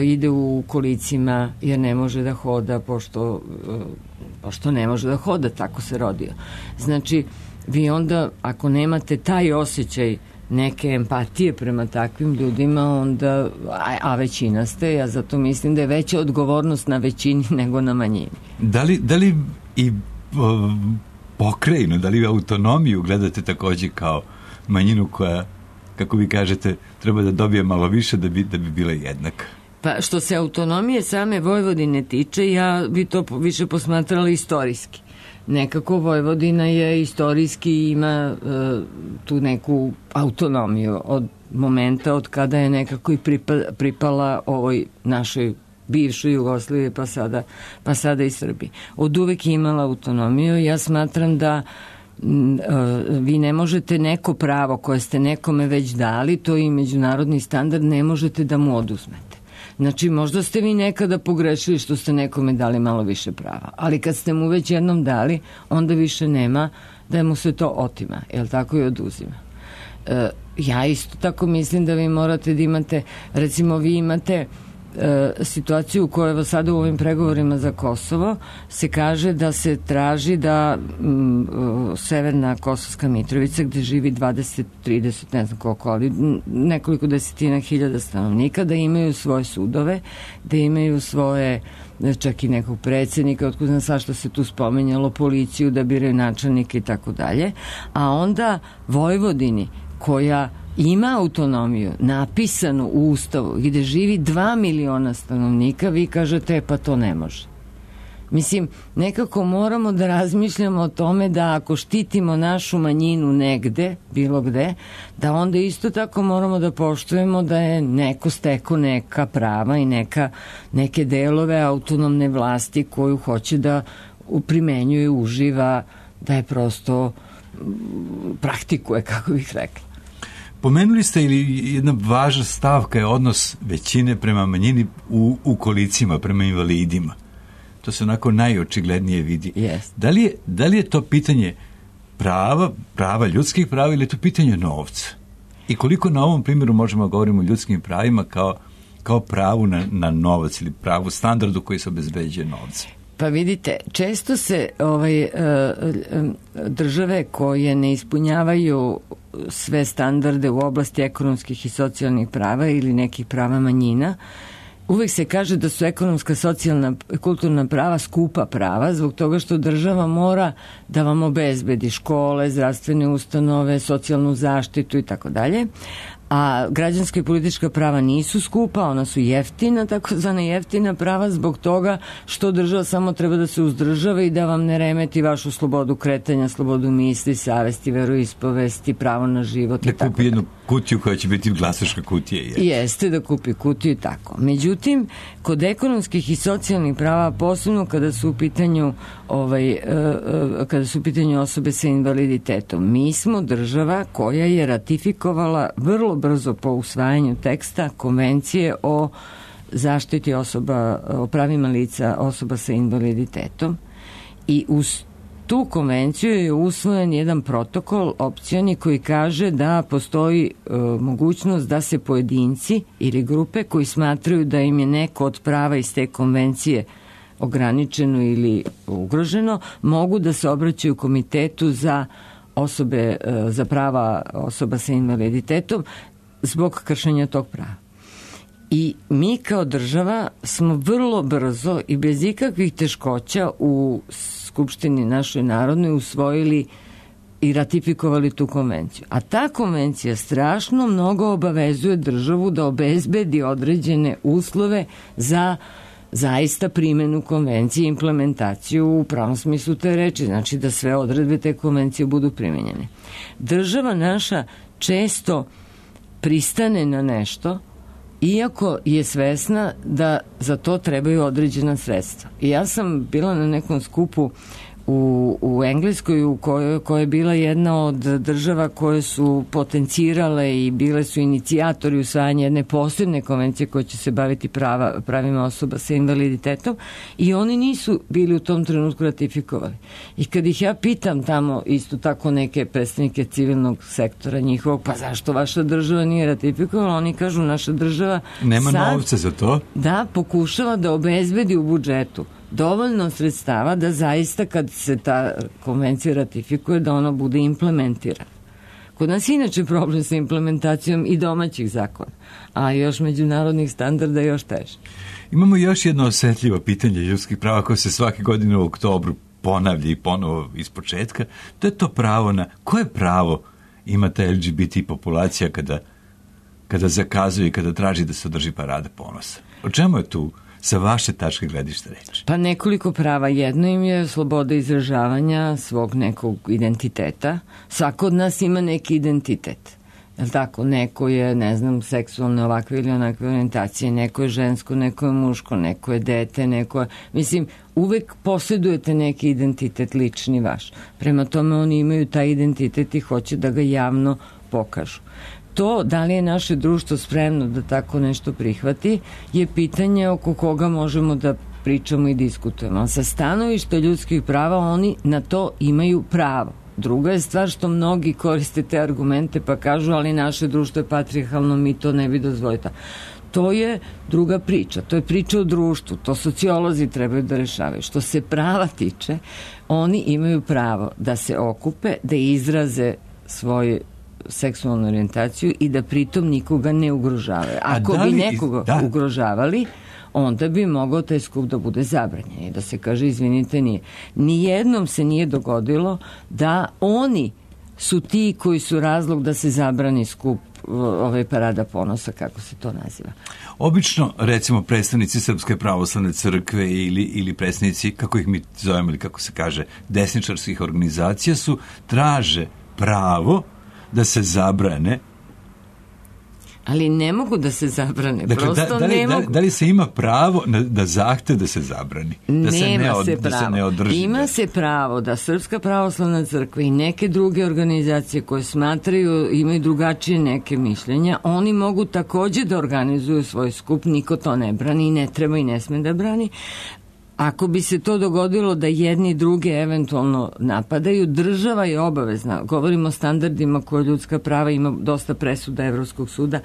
[SPEAKER 2] ide u kolicima jer ne može da hoda pošto ne može da hoda, tako se rodio. Znači, vi onda ako nemate taj osjećaj neke empatije prema takvim ljudima, onda, a većina ste, ja zato mislim da je veća odgovornost na većini nego na manjini.
[SPEAKER 3] Da li i pokrajinu, da li autonomiju gledate takođe kao manjinu koja, kako vi kažete, treba da dobije malo više da bi bila jednaka?
[SPEAKER 2] Pa što se autonomije same Vojvodine tiče, ja bi to više posmatrala istorijski. Nekako Vojvodina je istorijski ima tu neku autonomiju od momenta od kada je nekako i pripala ovoj našoj bivšoj Jugoslaviji pa sada i Srbiji. Od uvek je imala autonomiju. Ja smatram da vi ne možete neko pravo koje ste nekome već dali, to je i međunarodni standard, ne možete da mu oduzmete. Znači, možda ste vi nekada pogrešili što ste nekome dali malo više prava, ali kad ste mu već jednom dali, onda više nema da mu se to otima, jel tako, i oduzima. Ja isto tako mislim da vi morate da imate, recimo vi imate situaciju u kojoj sada u ovim pregovorima za Kosovo se kaže da se traži da severna Kosovska Mitrovica, gde živi 20-30, ne znam koliko, ali nekoliko desetina hiljada stanovnika, da imaju svoje sudove, da imaju svoje, čak i nekog predsjednika, otkud znam sad što se tu spomenjalo, policiju, da biraju načelnike i tako dalje, a onda Vojvodini, koja ima autonomiju napisanu u Ustavu gde živi 2 miliona stanovnika, vi kažete pa to ne može. Mislim, nekako moramo da razmišljamo o tome da ako štitimo našu manjinu negde, bilo gde, da onda isto tako moramo da poštujemo da je neko stekao neka prava i neke delove autonomne vlasti koju hoće da primenjuje, uživa, da je prosto praktikuje, kako bih rekla.
[SPEAKER 3] Pomenuli ste ili jedna važna stavka je odnos većine prema manjini u kolicima, prema invalidima. To se onako najočiglednije vidi.
[SPEAKER 2] Yes.
[SPEAKER 3] Da li je to pitanje prava, ljudskih prava, ili je to pitanje novca? I koliko na ovom primjeru možemo da govorimo o ljudskim pravima kao pravu na novac ili pravu standardu koji se obezbeđuje novcem?
[SPEAKER 2] Pa vidite, često se države koje ne ispunjavaju sve standarde u oblasti ekonomskih i socijalnih prava ili nekih prava manjina, uvek se kaže da su ekonomska, socijalna, kulturna prava skupa prava, zbog toga što država mora da vam obezbedi škole, zdravstvene ustanove, socijalnu zaštitu i tako dalje. A građanska i politička prava nisu skupa, ona su jeftina, takozvana jeftina prava, zbog toga što država samo treba da se uzdržava i da vam ne remeti vašu slobodu kretanja, slobodu misli, savesti, veroispovesti, pravo na život i tako.
[SPEAKER 3] Da kupi jednu kutiju koja će biti glasačka kutija.
[SPEAKER 2] Jeste, da kupi kutiju i tako. Međutim, kod ekonomskih i socijalnih prava, posebno kada su u pitanju osobe sa invaliditetom, mi smo država koja je ratifikovala vrlo brzo po usvajanju teksta Konvencije o zaštiti osoba, o pravima lica osoba sa invaliditetom, i uz tu konvenciju je usvojen jedan protokol opcioni koji kaže da postoji mogućnost da se pojedinci ili grupe koji smatraju da im je neko od prava iz te konvencije ograničeno ili ugroženo, mogu da se obraćaju komitetu za prava osoba sa invaliditetom zbog kršenja tog prava. I mi kao država smo vrlo brzo i bez ikakvih teškoća u Skupštini našoj narodnoj usvojili i ratifikovali tu konvenciju. A ta konvencija strašno mnogo obavezuje državu da obezbedi određene uslove za zaista primenu konvencije i implementaciju u pravom smislu te reči, znači da sve odredbe te konvencije budu primenjene. Država naša često pristane na nešto iako je svesna da za to trebaju određena sredstva. I ja sam bila na nekom skupu u Engleskoj koja je bila jedna od država koje su potencirale i bile su inicijatori usvajanja jedne posebne konvencije koja će se baviti pravima osoba sa invaliditetom i oni nisu bili u tom trenutku ratifikovali. I kad ih ja pitam tamo isto tako neke predstavnike civilnog sektora njihovog, pa zašto vaša država nije ratifikovala, oni kažu naša država
[SPEAKER 3] nema novca za to.
[SPEAKER 2] Da, pokušava da obezbedi u budžetu dovoljno sredstava da zaista kad se ta konvencija ratifikuje da ona bude implementirana. Kod nas je inače problem sa implementacijom i domaćih zakona, a još međunarodnih standarda još teže.
[SPEAKER 3] Imamo još jedno osetljivo pitanje ljudskih prava koje se svake godine u oktobru ponavlja i ponovo iz početka. To je to pravo na... Koje pravo ima ta LGBT populacija kada zakazuje i kada traži da se održi parada ponosa? O čemu je tu sa vaše tačke gledišta reći?
[SPEAKER 2] Pa nekoliko prava. Jedno im je sloboda izražavanja svog nekog identiteta. Svako od nas ima neki identitet. Jel' tako? Neko je, ne znam, seksualne ovakve ili onakve orijentacije, neko je žensko, neko je muško, neko je dete, neko je... Mislim, uvek posjedujete neki identitet lični vaš. Prema tome oni imaju taj identitet i hoće da ga javno pokažu. To, da li je naše društvo spremno da tako nešto prihvati, je pitanje oko koga možemo da pričamo i diskutujemo. Sa stanovišta ljudskih prava oni na to imaju pravo. Druga je stvar što mnogi koriste te argumente pa kažu ali naše društvo je patrijarhalno, mi to ne bi dozvolili. To je druga priča, to je priča o društvu, to sociolozi trebaju da rešavaju. Što se prava tiče, oni imaju pravo da se okupe, da izraze svoje seksualnu orijentaciju i da pritom nikoga ne ugrožavaju. Ako bi nekoga ugrožavali, onda bi mogao taj skup da bude zabranjen i da se kaže izvinite nije. Nijednom se nije dogodilo da oni su ti koji su razlog da se zabrani skup parada ponosa, kako se to naziva.
[SPEAKER 3] Obično, recimo, predstavnici Srpske pravoslavne crkve ili predstavnici, kako ih mi zovemo ili kako se kaže, desničarskih organizacija traže pravo da se zabrane.
[SPEAKER 2] Ali ne mogu da se zabrane.
[SPEAKER 3] Dakle,
[SPEAKER 2] prosto ne mogu.
[SPEAKER 3] Da li se ima pravo da zahtev da se zabrani? Da se ne održi?
[SPEAKER 2] Ima se pravo da Srpska pravoslavna crkva i neke druge organizacije koje smatraju, imaju drugačije neke mišljenja, oni mogu takođe da organizuju svoj skup, niko to ne brani i ne treba i ne sme da brani. Ako bi se to dogodilo da jedni druge eventualno napadaju, država je obavezna, govorimo o standardima koje ljudska prava, ima dosta presuda Evropskog suda,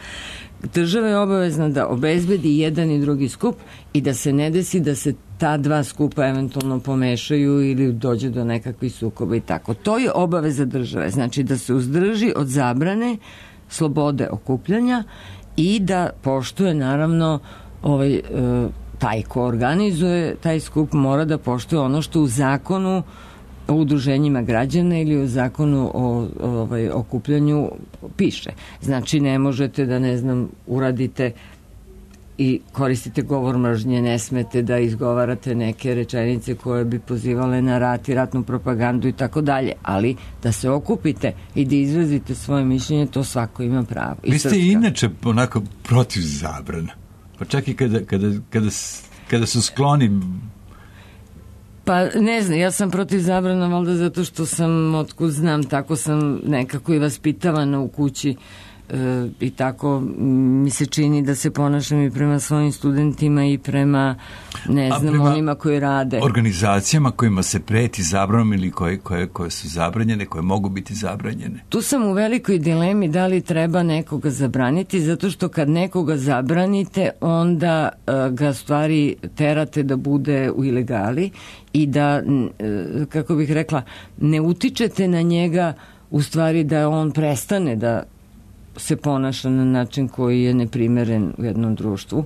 [SPEAKER 2] država je obavezna da obezbedi jedan i drugi skup i da se ne desi da se ta dva skupa eventualno pomešaju ili dođe do nekakvih sukoba i tako. To je obaveza države, znači da se uzdrži od zabrane slobode okupljanja i da poštuje naravno taj ko organizuje taj skup mora da poštuje ono što u zakonu o udruženjima građana ili u zakonu o okupljanju piše. Znači ne možete da, ne znam, uradite i koristite govor mržnje, ne smete da izgovarate neke rečenice koje bi pozivale na rat i ratnu propagandu i tako dalje, ali da se okupite i da izrazite svoje mišljenje, to svako ima pravo.
[SPEAKER 3] Vi ste inače onako protiv zabrana. Pa čak i kada su skloni...
[SPEAKER 2] Pa ne znam, ja sam protiv zabrana valjda zato što sam, otkud znam, tako sam nekako i vaspitavana u kući i tako mi se čini da se ponašam i prema svojim studentima i prema, ne znam, onima koji rade.
[SPEAKER 3] Organizacijama kojima se preti zabranom ili koje su zabranjene, koje mogu biti zabranjene.
[SPEAKER 2] Tu sam u velikoj dilemi da li treba nekoga zabraniti, zato što kad nekoga zabranite, onda ga stvari terate da bude u ilegali i da, kako bih rekla, ne utičete na njega u stvari da on prestane da se ponaša na način koji je neprimeren u jednom društvu.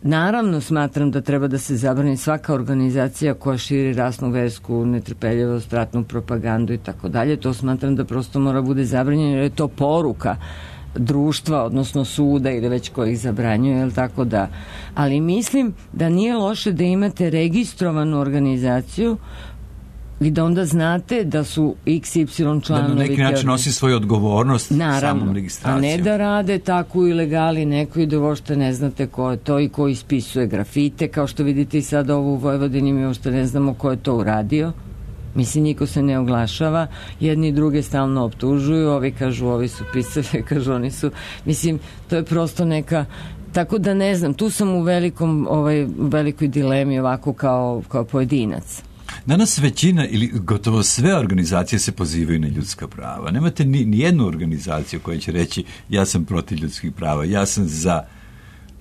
[SPEAKER 2] Naravno, smatram da treba da se zabrani svaka organizacija koja širi rasnu, versku, netrpeljivost, ratnu propagandu i tako dalje. To smatram da prosto mora bude zabranjeno jer je to poruka društva, odnosno suda ili već koji ih zabranjuje, jel tako da. Ali mislim da nije loše da imate registrovanu organizaciju i da onda znate da su XY članovi.
[SPEAKER 3] Da na neki način nosi svoju odgovornost samom registracijom.
[SPEAKER 2] A ne da rade tako ilegali neko i da uopšte ne znate ko je to i ko ispisuje grafite, kao što vidite i sad ovo u Vojvodini, mi uopšte ne znamo ko je to uradio. Mislim, niko se ne oglašava, jedni i druge stalno optužuju, ovi kažu ovi su pisave, kažu oni su, mislim, to je prosto neka, tako da ne znam, tu sam u velikoj dilemi ovako kao pojedinac.
[SPEAKER 3] Danas većina ili gotovo sve organizacije se pozivaju na ljudska prava. Nemate ni jednu organizaciju koja će reći ja sam protiv ljudskih prava, ja sam za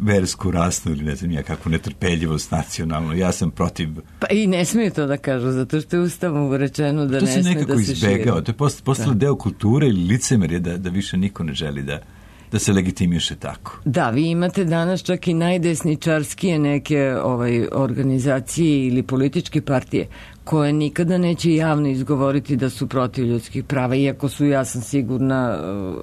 [SPEAKER 3] versku, rasnu ili ne znam ja kakvu netrpeljivost nacionalnu, ja sam protiv...
[SPEAKER 2] Pa i ne smiju to da kažu, zato što je Ustavom rečeno da ne smije da se širi.
[SPEAKER 3] To se nekako izbegao, to je postalo deo kulture ili licemerje da više niko ne želi da se legitimiše tako.
[SPEAKER 2] Da, vi imate danas čak i najdesničarskije neke organizacije ili političke partije koje nikada neće javno izgovoriti da su protiv ljudskih prava, iako su, ja sam sigurna,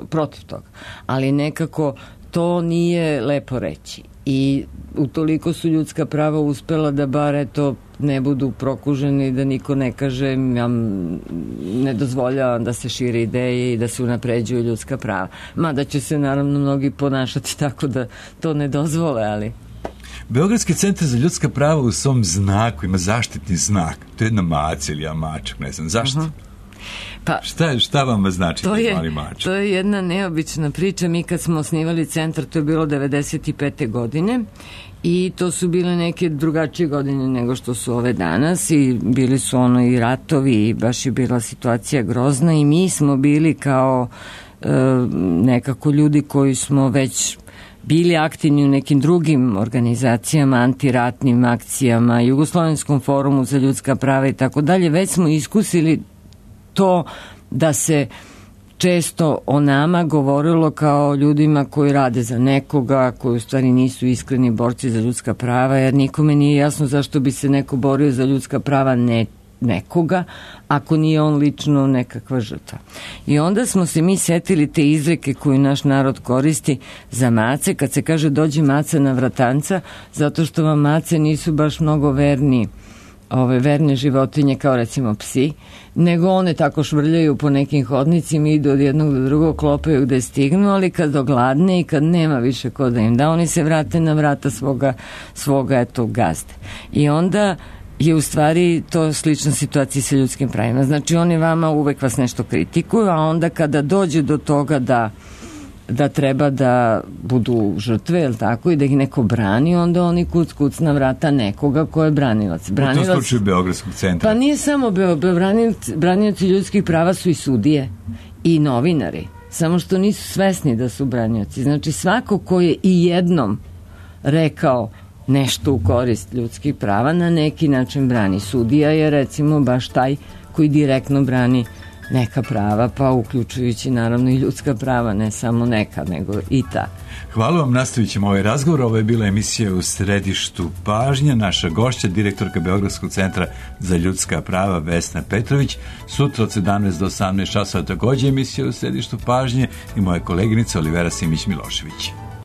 [SPEAKER 2] protiv toga. Ali nekako to nije lepo reći. I utoliko su ljudska prava uspela da bar eto ne budu prokuženi, da niko ne kaže ja ne dozvoljavam da se šire ideje i da se unapređuju ljudska prava. Mada će se naravno mnogi ponašati tako da to ne dozvole, ali...
[SPEAKER 3] Beogradski centar za ljudska prava u svom znaku ima zaštitni znak. To je jedna maca ili mačak, ne znam. Zašto?
[SPEAKER 2] Pa,
[SPEAKER 3] šta vam znači taj mali mačak?
[SPEAKER 2] To je jedna neobična priča. Mi kad smo osnivali centar, to je bilo 95. godine i to su bile neke drugačije godine nego što su ove danas i bili su i ratovi i baš je bila situacija grozna i mi smo bili kao nekako ljudi koji smo već bili aktivni u nekim drugim organizacijama, antiratnim akcijama, Jugoslovenskom forumu za ljudska prava i tako dalje. Već smo iskusili to da se često o nama govorilo kao ljudima koji rade za nekoga, koji u stvari nisu iskreni borci za ljudska prava, jer nikome nije jasno zašto bi se neko borio za ljudska prava nekoga, ako nije on lično nekakva žrtva. I onda smo se mi setili te izreke koju naš narod koristi za mace, kad se kaže dođe maca na vratanca, zato što vam mace nisu baš mnogo verne životinje kao recimo psi, nego one tako švrljaju po nekim hodnicima, idu od jednog do drugog, klopaju gde stignu, ali kad ogladne i kad nema više ko da im da, oni se vrate na vrata svoga eto gazde. I onda je u stvari to slična situacija sa ljudskim pravima. Znači oni vama uvek vas nešto kritikuju, a onda kada dođe do toga da treba da budu žrtve, jel tako, i da ih neko brani, onda oni kuc na vrata nekoga ko je branilac.
[SPEAKER 3] U tom slučaju Beogradskog centra.
[SPEAKER 2] Pa nije samo branioci ljudskih prava su i sudije i novinari, samo što nisu svesni da su branioci. Znači svako ko je i jednom rekao nešto u korist ljudskih prava na neki način brani. Sudija je recimo baš taj koji direktno brani neka prava, pa uključujući naravno i ljudska prava, ne samo neka, nego i ta.
[SPEAKER 3] Hvala vam, nastavit ćemo ovaj razgovor. Ovo je bila emisija U središtu pažnje. Naša gošća, direktorka Beogradskog centra za ljudska prava Vesna Petrović. Sutra od 17 do 18 časova također emisija U središtu pažnje i moja koleginica Olivera Simić-Milošević.